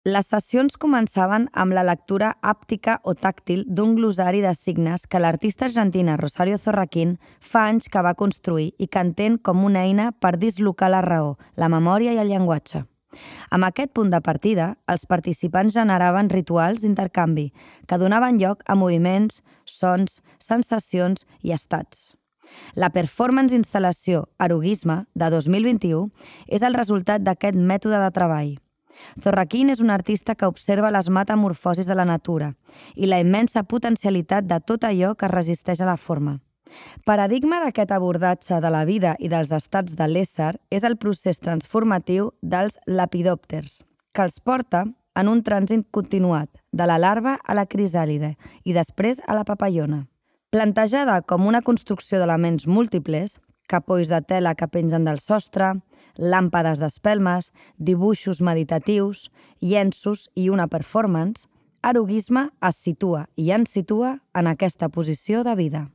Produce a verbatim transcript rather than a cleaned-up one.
Les sessions començaven amb la lectura àptica o tàctil d'un glossari de signes que l'artista argentina Rosario Zorraquín fa anys que va construir i que entén com una eina per dislocar la raó, la memòria i el llenguatge. Amb aquest punt de partida, els participants generaven rituals d'intercanvi que donaven lloc a moviments, sons, sensacions i estats. La performance instal·lació Eroguisme de dos mil vint-i-u és el resultat d'aquest mètode de treball. Zorraquín és un artista que observa les metamorfosis de la natura i la immensa potencialitat de tot allò que es resisteix a la forma. Paradigma d'aquest abordatge de la vida i dels estats de l'ésser és el procés transformatiu dels lepidòpters, que els porta en un trànsit continuat, de la larva a la crisàlide i després a la papallona. Plantejada com una construcció d'elements múltiples, capolls de tela que pengen del sostre, làmpades d'espelmes, dibuixos meditatius, llenços i una performance, Eroguisme es situa i ens situa en aquesta posició de vida.